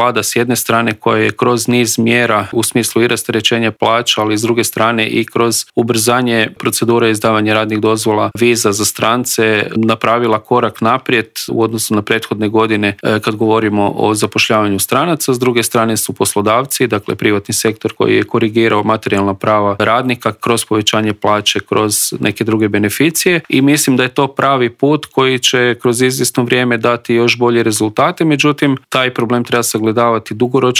Vlada s jedne strane koja je kroz niz mjera u smislu i rasterećenja plaća, ali s druge strane i kroz ubrzanje procedure izdavanja radnih dozvola, viza za strance napravila korak naprijed u odnosu na prethodne godine kad govorimo o zapošljavanju stranaca. S druge strane su poslodavci, dakle privatni sektor koji je korigirao materijalna prava radnika kroz povećanje plaće, kroz neke druge beneficije i mislim da je to pravi put koji će kroz izvjesno vrijeme dati još bolje rezultate. Međutim, taj problem treba sagledavati dugoročno